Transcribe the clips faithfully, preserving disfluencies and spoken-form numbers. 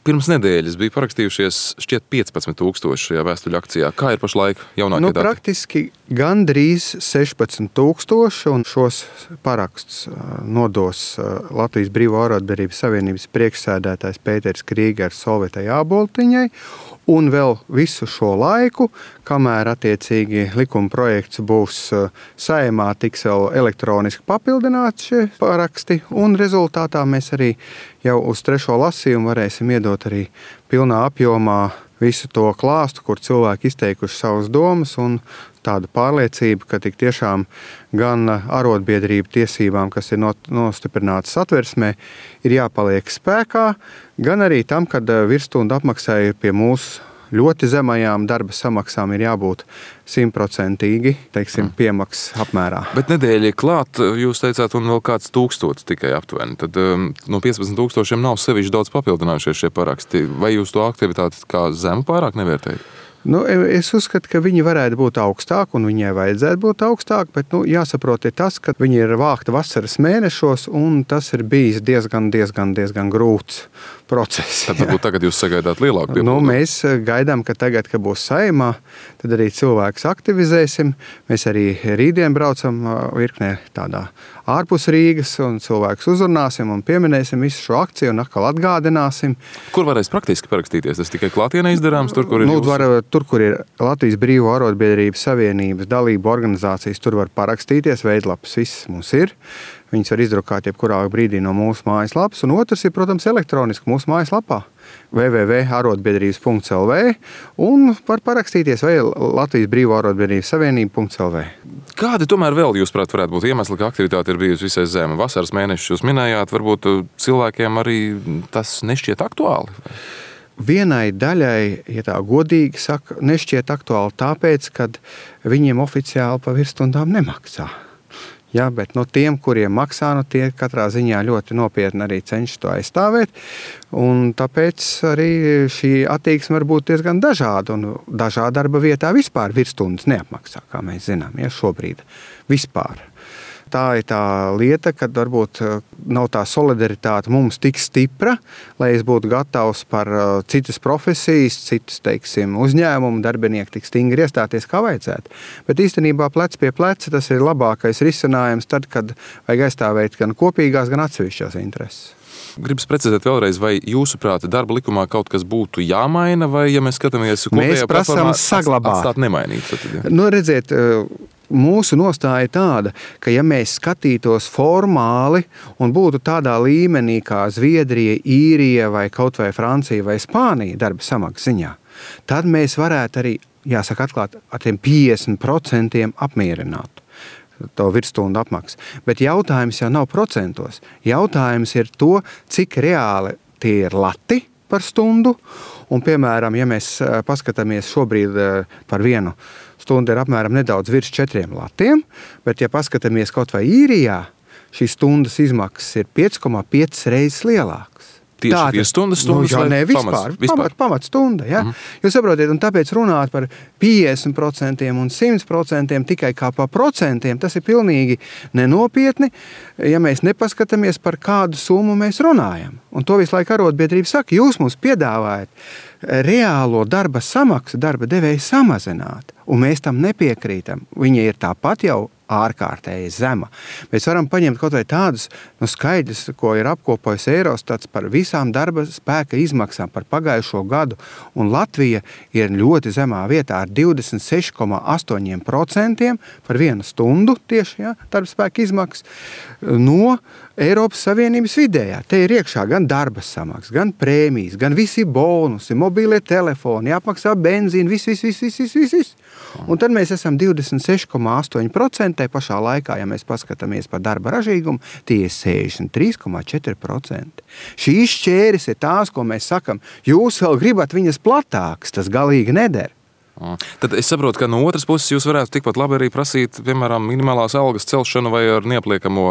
Pirms nedēļas bija parakstījušies šķiet piecpadsmit tūkstoši šajā vēstuļu akcijā. Kā ir pašlaik jaunākie nu, dati? Praktiski gandrīz sešpadsmit tūkstoši, un šos paraksts nodos Latvijas Brīvo arotbiedrību savienības priekšsēdētājs Pēters Krīgers Solvitai Āboltiņai. Un vēl visu šo laiku, kamēr attiecīgi likuma projekts būs Saeimā, tiks vēl elektroniski papildināts šie paraksti, un rezultātā mēs arī jau uz trešo lasījumu varēsim iedot arī pilnā apjomā visu to klāstu, kur cilvēki izteikuši savas domas, un tāda pārliecība, ka tik tiešām gan arotbiedrību tiesībām, kas ir nostiprinātas Satversmē, ir jāpaliek spēkā, gan arī tam, kad virsstundu apmaksai pie mūsu ļoti zemajām darba samaksām ir jābūt simtprocentīgi, teiksim, piemaksas apmērā. Bet nedēļa klāt, jūs teicāt, un vēl kāds tūkstots tikai aptuveni. Tad um, no piecpadsmit tūkstošiem nav sevišķi daudz papildinājušies šie paraksti. Vai jūs to aktivitāti kā zemu pārāk nevērtējat? Nu, es uzskatu, ka viņi varētu būt augstāk, un viņai vajadzētu būt augstāk, bet nu, jāsaprot ir tas, ka viņi ir vākti vasaras mēnešos, un tas ir bijis diezgan, diezgan, diezgan grūts process. Tad varbūt tagad jūs sagaidāt lielāku piepildu? Nu, mēs gaidām, ka tagad, kad būs Saeimā, tad arī cilvēkus aktivizēsim. Mēs arī rītdien braucam virknē tādā ārpus Rīgas, un cilvēkus uzrunāsim un pieminēsim visu šo akciju un atkal atgādināsim. Kur varēs praktiski parakstīties? Tas tikai klātienē izdarāms, tur, kur ir nu, jūs? Var, tur, kur ir Latvijas Brīvo arotbiedrības savienības dalību organizācijas, tur var parakstīties, veidlapas viss mums ir. Viņas var izdrukāt jebkurā brīdī no mūsu mājaslapas, un otrs ir, protams, elektroniski mūsu mājaslapā w w w punkt arotbiedrības punkts l v un var parakstīties vai Latvijas Brīvo arotbiedrības savienība punkts l v. Kādi tomēr vēl, jūsuprāt, varētu būt iemesli, ka aktivitāte ir bijusi visai zema? Vasaras mēnešus jūs minējāt, varbūt cilvēkiem arī tas nešķiet aktuāli? Vienai daļai, ja tā godīgi saka, nešķiet aktuāli tāpēc, kad viņiem oficiāli pa virsstundām nemaksā. Ja, bet no tiem, kuriem maksā, no tie katrā ziņā ļoti nopietni arī cenšas to aizstāvēt. Un tāpēc arī šī attieksme var būt diezgan dažāda. Un dažā darba vietā vispār virsstundas neapmaksā, kā mēs zinām, ja, šobrīd. Vispār. Tā ir tā lieta, kad varbūt nav tā solidaritāte mums tik stipra, lai es būtu gatavs par citas profesijas, citas, teiksim, uzņēmumu darbinieku tik stingri iestāties, kā vajadzētu. Bet īstenībā plec pie pleca tas ir labākais risinājums tad, kad vajag aizstāvēt gan kopīgās, gan atsevišķās intereses. Gribas precizēt vēlreiz, vai jūsuprāt darba likumā kaut kas būtu jāmaina, vai ja mēs skatāmies kopējā platformā, atstāt nemainīt? Tad, ja. Nu, redziet, mūsu nostāja tāda, ka ja mēs skatītos formāli un būtu tādā līmenī kā Zviedrija, Īrija vai kaut vai Francija vai Spānija darba samaksas ziņā, tad mēs varētu arī, jāsaka atklāt, ar tiem piecdesmit procentiem apmierināt to virsstundu apmaksu. Bet jautājums jau nav procentos. Jautājums ir to, cik reāli tie ir lati par stundu. Un, piemēram, ja mēs paskatāmies šobrīd par vienu stundu ir apmēram nedaudz virs četriem latiem, bet ja paskatāmies kaut vai Īrijā, šīs stundas izmaksas ir pieci komā pieci reizes lielākas. Tieši vierstundas stundas nu, jā, vai ne, vispār, pamats? vispār? Pamat, pamat stunda, ja? Mm. Jūs saprotiet, un tāpēc runāt par piecdesmit procentiem un simt procentiem tikai kā par procentiem, tas ir pilnīgi nenopietni, ja mēs nepaskatāmies par kādu summu mēs runājam. Un to visu laiku arotbiedrība saka, jūs mums piedāvājat reālo darba samaksu, darba devēju samazināt, un mēs tam nepiekrītam. Viņa ir tāpat jau ārkārtēji zema. Mēs varam paņemt kaut vai tādus nu, skaidrs, ko ir apkopojis Eirostats par visām darba spēka izmaksām par pagājušo gadu, un Latvija ir ļoti zemā vietā ar divdesmit seši komā astoņi procenti par vienu stundu tieši ja, darba spēka izmaksas no Eiropas Savienības vidējā. Te ir iekšā gan darba samaksas, gan prēmijas, gan visi bonusi, mobīlie telefoni, jāapmaksā benzīni, viss, viss, viss, viss, viss, viss. Un tad mēs esam divdesmit seši komā astoņi procenti, pašā laikā, ja mēs paskatāmies par darba ražīgumu, tie ir sešdesmit trīs komā četri procenti. Šīs šķēris ir tās, ko mēs sakam, jūs vēl gribat viņas platākas, tas galīgi neder. Tad es saprotu, ka no otras puses jūs varētu tikpat labi arī prasīt, piemēram, minimālās algas celšanu vai ar neapliekamo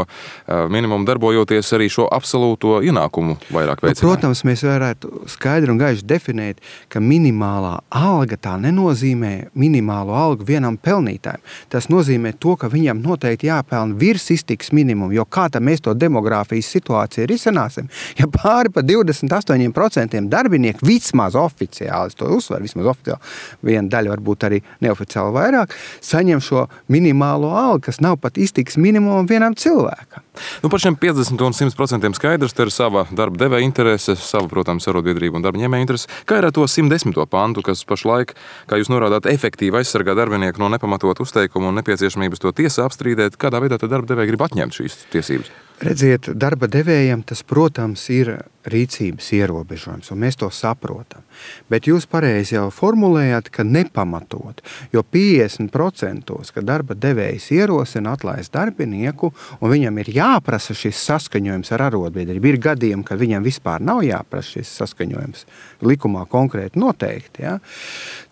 minimumu darbojoties arī šo absolūto ienākumu vairāk veicināt. Nu, protams, mēs varētu skaidri un gaiši definēt, ka minimālā alga tā nenozīmē minimālo algu vienam pelnītājam. Tas nozīmē to, ka viņam noteikti jāpelna virs iztikas minimumu, jo kā tad mēs to demogrāfijas situāciju risināsim, ja pāri pa divdesmit astoņi procenti darbinieku vismaz oficiāli, es to uzsveru, vismaz oficiāli, viena daļa varbūt arī neoficiāli vairāk, saņem šo minimālo algu, kas nav pat iztikas minimumam vienam cilvēkam. Nu, par šiem piecdesmit un simt procentiem skaidrs, te ir sava darba devēja interese, sava, protams, arotbiedrība un darba ņēmēja interese. Kā ir ar to simt desmito pantu, kas pašlaik, kā jūs norādāt, efektīvi aizsargā darbinieku no nepamatot uzteikumu un nepieciešamības to tiesā apstrīdēt, kādā veidā tad darba devēja grib atņemt šīs tiesības? Redziet, darba devējiem tas, protams, ir rīcības ierobežojums, un mēs to saprotam. Bet jūs pareizi jau formulējāt, ka nepamatot, jo piecdesmit procenti, ka darba devējs ierosina atlaist darbinieku, un viņam ir jāprasa šis saskaņojums ar arotbiedrību. Ir gadījumi, kad viņam vispār nav jāprasa šis saskaņojums, likumā konkrēti noteikti. Ja?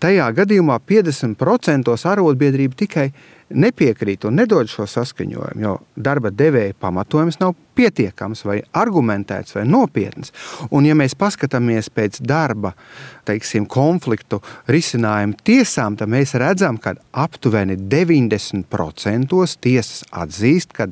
Tajā gadījumā piecdesmit procenti arotbiedrība tikai nepiekrīt un nedod šo saskaņojumu, jo darba devēja pamatojums nav pietiekams vai argumentēts vai nopietns. Un ja mēs paskatāmies pēc darba, teiksim, konfliktu risinājumu tiesām, tad mēs redzam, ka aptuveni deviņdesmit procenti tiesas atzīst, ka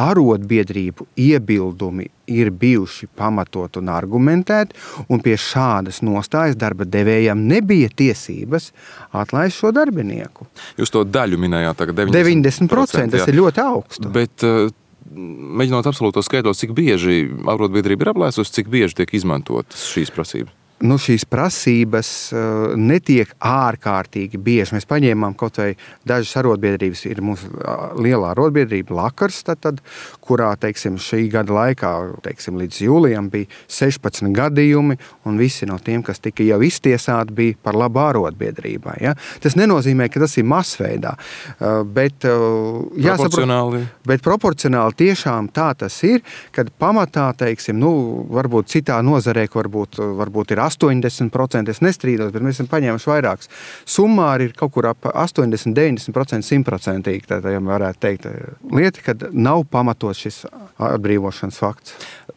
arotbiedrību iebildumi ir bijuši pamatot un argumentēti, un pie šādas nostājas darba devējam nebija tiesības atlaist šo darbinieku. Jūs to daļu minējāt tagad deviņdesmit procenti. deviņdesmit procenti, tas ir ļoti augstu. Bet, uh, mēģinot absolūtos skaitļos, cik bieži arotbiedrība ir aplēsusi, cik bieži tiek izmantotas šīs prasības? Nu, šīs prasības uh, netiek ārkārtīgi bieži. Mēs paņēmām kaut vai dažas arotbiedrības, ir mūsu uh, lielā arotbiedrība Lakars, tad, tad, kurā, teiksim, šī gada laikā, teiksim, līdz jūlijam bija sešpadsmit gadījumi, un visi no tiem, kas tika jau iztiesāti, bija par labu arotbiedrībai. Ja? Tas nenozīmē, ka tas ir masveidā, uh, bet, uh, proporcionāli. Jāsaprot, bet proporcionāli tiešām tā tas ir, kad pamatā, teiksim, nu, varbūt citā nozarē, varbūt, varbūt ir astoņdesmit procenti, es nestrīdos, bet mēs esam paņēmuši vairākus. Summāri ir kaut kur ap astoņdesmit, deviņdesmit procenti simtprocentīgi, tā jau varētu teikt lieta, kad nav pamatot šis atbrīvošanas fakts.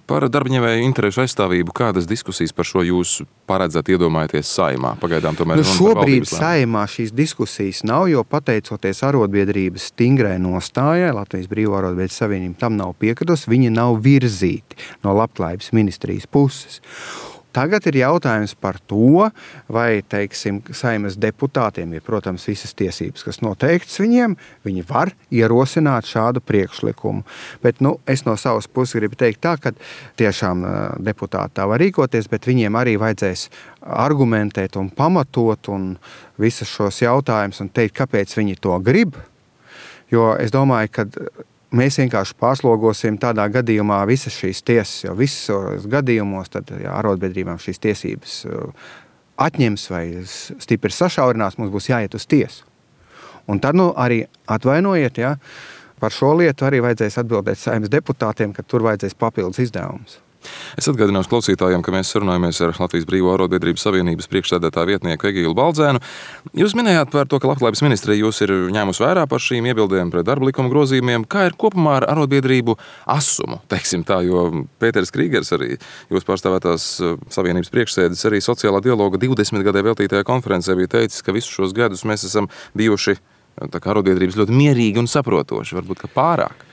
Par darbaņēmēju interešu aizstāvību, kādas diskusijas par šo jūs paredzat iedomājaties Saeimā? Pagaidām tomēr nu, šobrīd Saeimā šīs diskusijas nav, jo pateicoties arotbiedrības stingrai nostājai, Latvijas Brīvo arotbiedrības savienība tam nav piekritus, viņi nav virzīti no Labklājības ministrijas puses. Tagad ir jautājums par to, vai, teiksim, Saeimas deputātiem ir, protams, visas tiesības, kas noteikts viņiem, viņi var ierosināt šādu priekšlikumu. Bet, nu, es no savas puses gribu teikt tā, ka tiešām deputāti tā var rīkoties, bet viņiem arī vajadzēs argumentēt un pamatot un visus šos jautājumus un teikt, kāpēc viņi to grib. Jo es domāju, ka mēs vienkārši pārslogosim tādā gadījumā visas šīs tiesas, jo visos gadījumos tad, ja arotbiedrībām šīs tiesības atņems vai stipri sašaurinās, mums būs jāiet uz tiesu. Un tad nu, arī atvainojiet, ja, par šo lietu arī vajadzēs atbildēt Saeimas deputātiem, ka tur vajadzēs papildus izdevumus. Es atgādināšu klausītājiem, ka mēs sarunājamies ar Latvijas Brīvo arotbiedrības savienības priekšsēdētāja vietnieku Egilu Baldzēnu. Jūs minējāt par to, ka Labklājības ministrija jūs ir ņēmusi vērā par šīm iebildēm pret darba likuma grozījumiem. Kā ir kopumā ar arotbiedrību asumu, teiksim tā, jo Pēters Krīgers, arī jūs pārstāvētās savienības priekšsēdis, arī sociālā dialoga divdesmit gadē veltītajā konferencē bija teicis, ka visus šos gadus mēs esam bijuši tā kā arotbiedrības ļoti mierīgi un saprotoši, varbūt ka pārāk.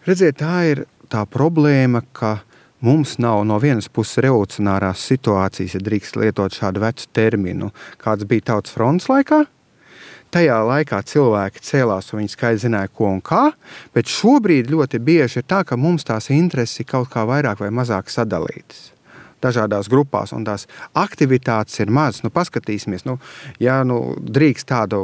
Redziet, tā ir tā problēma, ka mums nav no vienas puses revolucionārās situācijas, ja drīkst lietot šādu vecu terminu, kāds bija Tautas frontes laikā. Tajā laikā cilvēki cēlās un viņi skaidri zināja, ko un kā, bet šobrīd ļoti bieži ir tā, ka mums tās intereses ir kaut kā vairāk vai mazāk sadalītas dažādās grupās, un tās aktivitātes ir mazas. Nu, paskatīsimies, nu, ja nu, drīkst tādu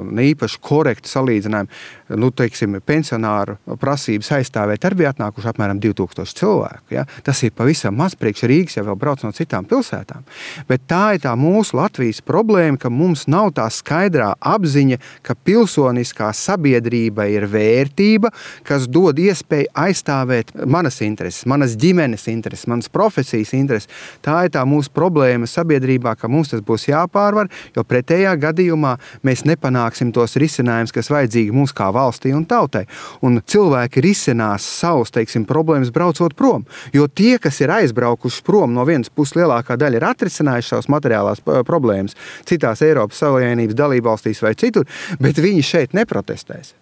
neīpaši korektu salīdzinājumu, nu, teiksim, pensionāru prasības aizstāvēt, arī bija atnākuši apmēram divi tūkstoši cilvēku. Ja? Tas ir pavisam maz, priekš Rīgas jau vēl brauc no citām pilsētām. Bet tā ir tā mūsu Latvijas problēma, ka mums nav tā skaidrā apziņa, ka pilsoniskā sabiedrība ir vērtība, kas dod iespēju aizstāvēt manas intereses, manas ģimenes intereses, manas profesijas intereses, Tā ir tā mūsu problēma sabiedrībā, ka mums tas būs jāpārvar, jo pretējā gadījumā mēs nepanāksim tos risinājumus, kas vajadzīgi mums kā valstī un tautai. Un cilvēki risinās savus, teiksim, problēmas braucot prom, jo tie, kas ir aizbraukuši prom, no vienas puses lielākā daļa ir atrisinājuši savas materiālās problēmas citās Eiropas Savienības dalībvalstīs vai citur, bet viņi šeit neprotestēs.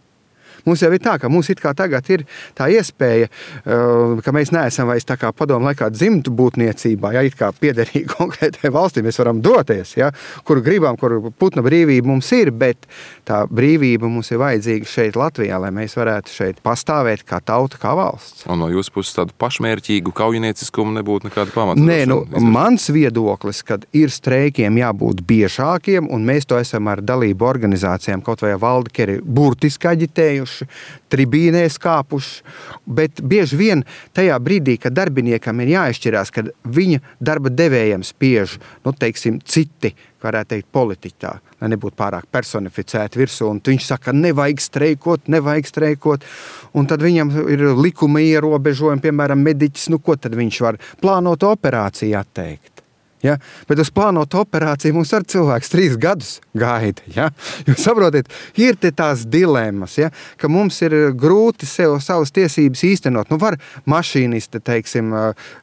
Mums jau ir tā, ka mums it kā tagad ir tā iespēja, ka mēs neesam vairs tā kā padomu laikā dzimtu būtniecībā, ja it kā piederīgi konkrētai valstī mēs varam doties, ja, kur gribam, kur putna brīvība mums ir, bet tā brīvība mums ir vajadzīga šeit Latvijā, lai mēs varētu šeit pastāvēt kā tauta, kā valsts. Un no jūsu puses tādu pašmērķīgu kaujinieciskumu nebūtu nekāda pamata? Nē, nu, mans viedoklis, kad ir streikiem jābūt biežākiem, un mēs to esam ar dalību organizācijām, kaut vai Valdkeri burtiski aģitējuši, tribīnēs kāpuši, bet bieži vien tajā brīdī, kad darbiniekam ir jāizšķirās, kad viņa darba devējiem spiež, nu, teiksim, citi, varētu teikt, politiķi tā, lai nebūtu pārāk personificēti virsū, un viņš saka, nevajag streikot, nevajag streikot, un tad viņam ir likuma ierobežojumi, piemēram, mediķis, nu, ko tad viņš var plānot operāciju atteikt? Ja? Bet uz plānotu operāciju mums ar cilvēks trīs gadus gaida. Ja? Jūs saprotiet, ir te tās dilemmas, ja? Ka mums ir grūti sev savas tiesības īstenot. Nu var mašīnisti, teiksim,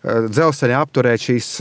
dzelzceļā apturēt šīs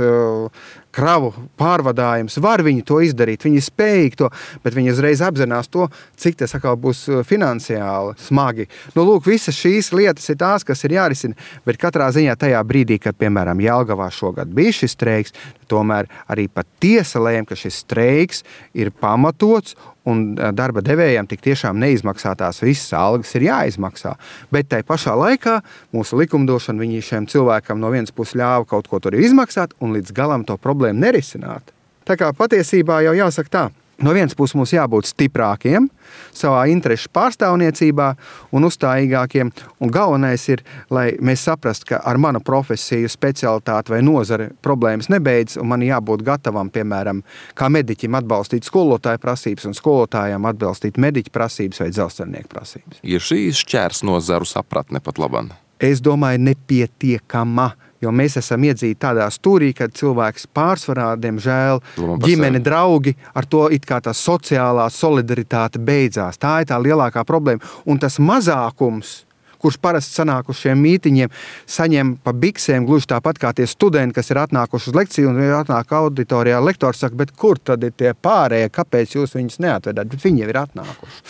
kravu pārvadājums, var viņi to izdarīt, viņi spējīgi to, bet viņi uzreiz apzinās to, cik tas atkal būs finansiāli smagi. Nu, lūk, visas šīs lietas ir tās, kas ir jārisina, bet katrā ziņā tajā brīdī, kad, piemēram, Jelgavā šogad bija šis streiks, tomēr arī pat tiesa lēma, ka šis streiks ir pamatots un darba devējiem tik tiešām neizmaksātās visas algas ir jāizmaksā. Bet tai pašā laikā mūsu likumdošana viņi šiem cilvēkam no vienas puses ļāva kaut ko tur izmaksāt un līdz galam to problēmu nerisināt. Tā kā patiesībā jau jāsaka tā, no vienas puses mums jābūt stiprākiem savā interešu pārstāvniecībā un uzstājīgākiem, un galvenais ir, lai mēs saprastu, ka ar manu profesiju, specialitāti vai nozari problēmas nebeidz, un man jābūt gatavam, piemēram, kā mediķim atbalstīt skolotāju prasības un skolotājiem atbalstīt mediķu prasības vai dzelzceļnieku prasības. Ir šī šķērs nozaru sapratne pat laban? Es domāju, nepietiekama. Jo mēs esam iedzīti tādā stūrī, kad cilvēks pārsvarā, diemžēl, ģimene, draugi, ar to it kā tā sociālā solidaritāte beidzās. Tā ir tā lielākā problēma. Un tas mazākums, kurš parasti sanāk uz šiem mītiņiem, saņem pa biksēm gluži tāpat kā tie studenti, kas ir atnākuši uz lekciju un atnāk auditorijā. Lektors saka, bet kur tad ir tie pārējie, kāpēc jūs viņus neatvedāt? Bet viņi jau ir atnākuši.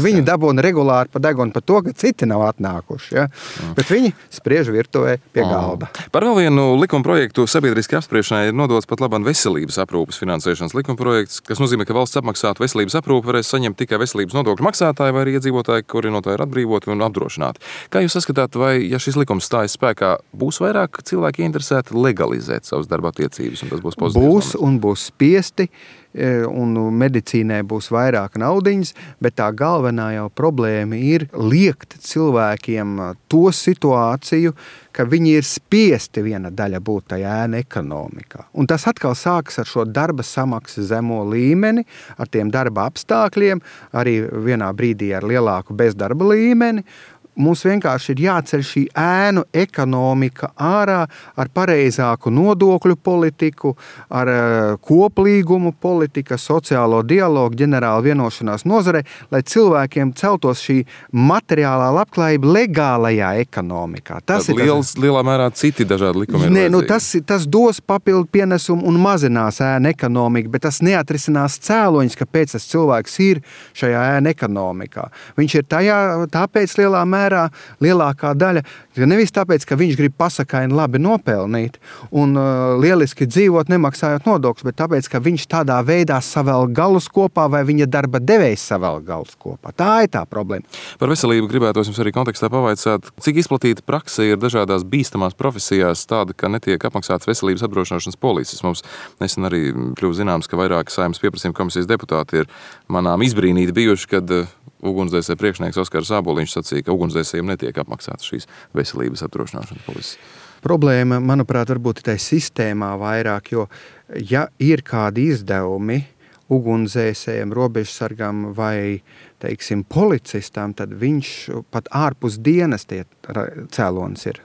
Viņi dabūna regulāri pa degunu par to, ka citi nav atnākuši. Ja? Bet viņi spriež virtuvē pie galda. Par vēl vienu likuma projektu sabiedriski apspriešanai ir nodots pat labam veselības aprūpes finansēšanas likuma projekts, kas nozīmē, ka valsts apmaksātu veselības aprūpi varēs saņemt tikai veselības nodokļu maksātāji vai arī iedzīvotāji, kuri no tā ir atbrīvoti un apdrošināti. Kā jūs saskatāt, vai, ja šis likums stājas spēkā, būs vairāk cilvēki interesēti legalizēt savas darba attiecības, un tas būs pozitīvs? Būs un būs spiesti, un medicīnai būs vairāk naudiņas, bet tā galvenā jau problēma ir liekt cilvēkiem to situāciju, ka viņi ir spiesti viena daļa būt tajā ēna ekonomikā. Un tas atkal sākas ar šo darba samaksas zemo līmeni, ar tiem darba apstākļiem, arī vienā brīdī ar lielāku bezdarba līmeni. Mums vienkārši ir jāceļ šī ēnu ekonomika ārā ar pareizāku nodokļu politiku, ar koplīgumu politika, sociālo dialogu, ģenerāla vienošanās nozarē, lai cilvēkiem celtos šī materiālā labklājība legālajā ekonomikā. Tas ir liels, lielā mērā citi dažādi likumi. Nē, nu tas, tas dos papildu pienesumu un mazinās ēnu ekonomiku, bet tas neatrisinās cēloņus, kāpēc tas cilvēks ir šajā ēnu ekonomikā. Viņš ir tajā, tāpēc lielā mērā lielākā daļa, nevis tāpēc, ka viņš grib pasakaini labi nopelnīt un uh, lieliski dzīvot, nemaksājot nodokļus, bet tāpēc, ka viņš tādā veidā savēl galus kopā vai viņa darba devējs savēl galus kopā. Tā ir tā problēma. Par veselību gribētos jums arī kontekstā pavaicāt, cik izplatīta prakse ir dažādās bīstamās profesijās tāda, ka netiek apmaksāts veselības apdrošināšanas polises. Mums nesen arī kļuva zināms, ka vairāki Saeimas pieprasījuma komisijas deputāti ir manām izbrīnīti bijuši, kad ugunsdzēsēja priekšnieks Oskars Āboliņš sacīja, ka ugunsdzēsējiem netiek apmaksātas šīs veselības apdrošināšanas polises. Problēma, manuprāt, varbūt ir tai sistēmā vairāk, jo ja ir kādi izdevumi ugunsdzēsējiem, robežsargam vai, teiksim, policistam, tad viņš pat ārpus dienas tie cēlonis ir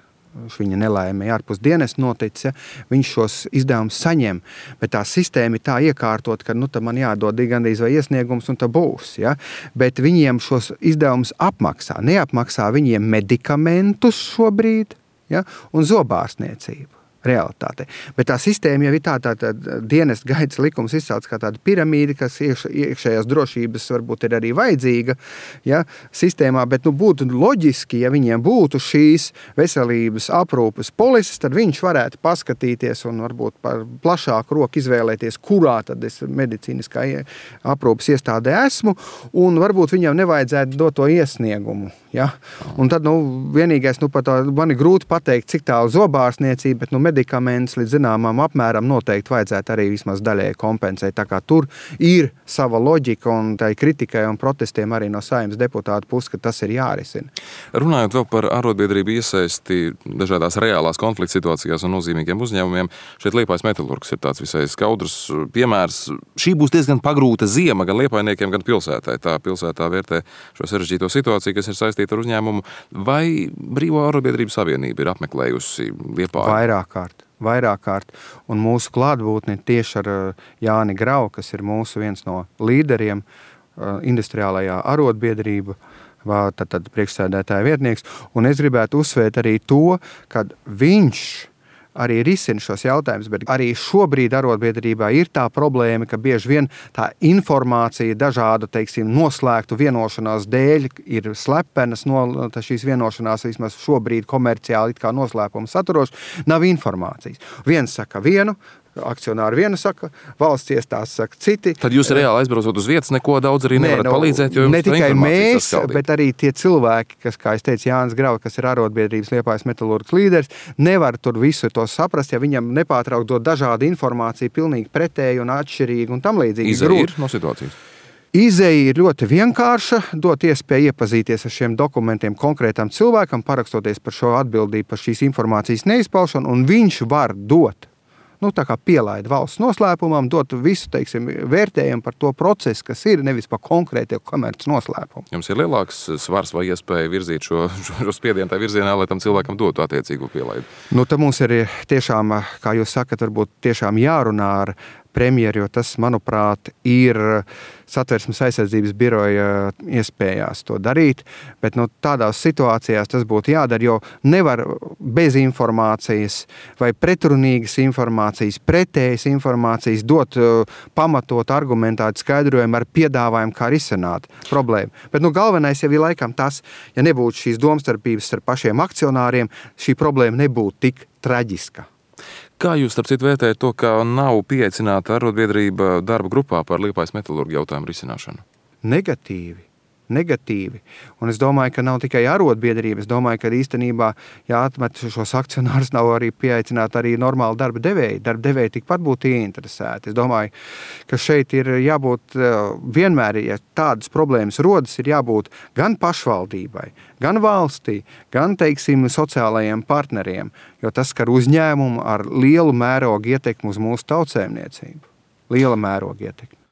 viņa nelaimē ārpus dienesta noticis, ja, viņš šos izdevumus saņem, bet tā sistēma ir tā iekārtot, ka nu, man jādod gandrīz vai iesniegums un tā būs. Ja. Bet viņiem šos izdevumus apmaksā. Neapmaksā viņiem medikamentus šobrīd, ja, un zobārstniecību. Realitāte. Bet tā sistēma jau ir tā, tā, tā dienesta gaitas likums izcelts kā tāda piramīda, kas iekš, iekšējās drošības varbūt ir arī vajadzīga, ja, sistēmā, bet nu, būtu loģiski, ja viņiem būtu šīs veselības aprūpes polises, tad viņš varētu paskatīties un varbūt par plašāku roku izvēlēties, kurā tad es medicīniskā aprūpes iestādē esmu, un varbūt viņam nevajadzētu dot to iesniegumu. Ja? Un tad nu, vienīgais, nu, pat man ir grūti pateikt, cik tālu zobārstniecība, bet nu, medikaments līdz zināmām apmēram noteikti vajadzētu arī vismaz daļēji kompensēt. Tā kā tur ir sava loģika un tai kritikai un protestiem arī no Saeimas deputātu puses, ka tas ir jārisina. Runājot vēl par arotbiedrību iesaisti dažādās reālās konflikta situācijās un nozīmīgiem uzņēmumiem, šeit Liepājas metalurgs ir tāds visai skaudrs piemērs. Šī būs diezgan pagrūta ziema gan liepājniekiem, gan pilsētai. Tā pilsētā vērtē šo sarežģīto situāciju, kas ir saistīta ar uzņēmumu. Vai Brīvo arotbiedrību savienība ir apmeklējusi Liepāju? Vairāk kārt. Vairāk kārt, un mūsu klātbūtni tieši ar Jāni Grau, kas ir mūsu viens no līderiem industriālajā arotbiedrība, tad, tad priekšsēdētāja vietnieks, un es gribētu uzsvērt arī to, ka viņš arī risina šos jautājumus, bet arī šobrīd arotbiedrībā ir tā problēma, ka bieži vien tā informācija dažādu, teiksim, noslēgtu vienošanās dēļ ir slepenas, no šīs vienošanās vismaz šobrīd komerciāli it kā noslēpuma saturoši, nav informācijas. Viens saka vienu, akcionāri viena saka, valsts iestādes saka citi. Tad jūs reāli aizbraucot uz vietas neko daudz arī nevarat ne, no, palīdzēt, jo jums ne tikai mēs, saskaldīt. Bet arī tie cilvēki, kas, kā es teicu, Jānis Grau, kas ir arotbiedrības Liepājas metalurgs līderis, nevar tur visu to saprast, ja viņam nepārtraukt dot dažādu informāciju, pilnīgi pretēju un atšķirīgu un tam līdzīgi. Izeja ir no situācijas? Izeja ir ļoti vienkārša, dot iespēju iepazīties ar šiem dokumentiem konkrētam cilvēkam, parakstoties par šo atbildību, par šīs informācijas neizpaušanu, un viņš var dot. Nu, tā kā pielaida valsts noslēpumam, dot visu, teiksim, vērtējumu par to procesu, kas ir, nevis par konkrētie komerces noslēpumu. Jums ir lielāks svars vai iespēja virzīt šo, šo spiedienu tā virzienā, lai tam cilvēkam dotu attiecīgu pielaidu? Nu, tad mums ir tiešām, kā jūs sakat, varbūt tiešām jārunā ar premjeru, jo tas, manuprāt, ir Satversmes aizsardzības biroja iespējās to darīt, bet nu, tādās situācijās tas būtu jādara, jo nevar bez informācijas vai pretrunīgas informācijas, pretējas informācijas dot pamatot argumentētu skaidrojumu ar piedāvājumu, kā risināt problēmu. Bet nu, galvenais jau ir laikam tas, ja nebūtu šīs domstarpības starp pašiem akcionāriem, šī problēma nebūtu tik traģiska. Kā jūs, starp citu, vērtējat to, ka nav pieaicināta arotbiedrība darba grupā par Liepājas metalurgu jautājumu risināšanu? Negatīvi. Negatīvi. Un es domāju, ka nav tikai arotbiedrība. Es domāju, ka īstenībā jāatmet šos akcionārus nav arī pieaicināt arī normāli darba devēji. Darba devēji tikpat būtu ieinteresēti. Es domāju, ka šeit ir jābūt vienmēr, ja tādas problēmas rodas, ir jābūt gan pašvaldībai, gan valstī, gan, teiksim, sociālajiem partneriem, jo tas skar uzņēmumu ar lielu mērogu ietekmi uz mūsu tautsēmniecību. Liela mēroga ietekmi.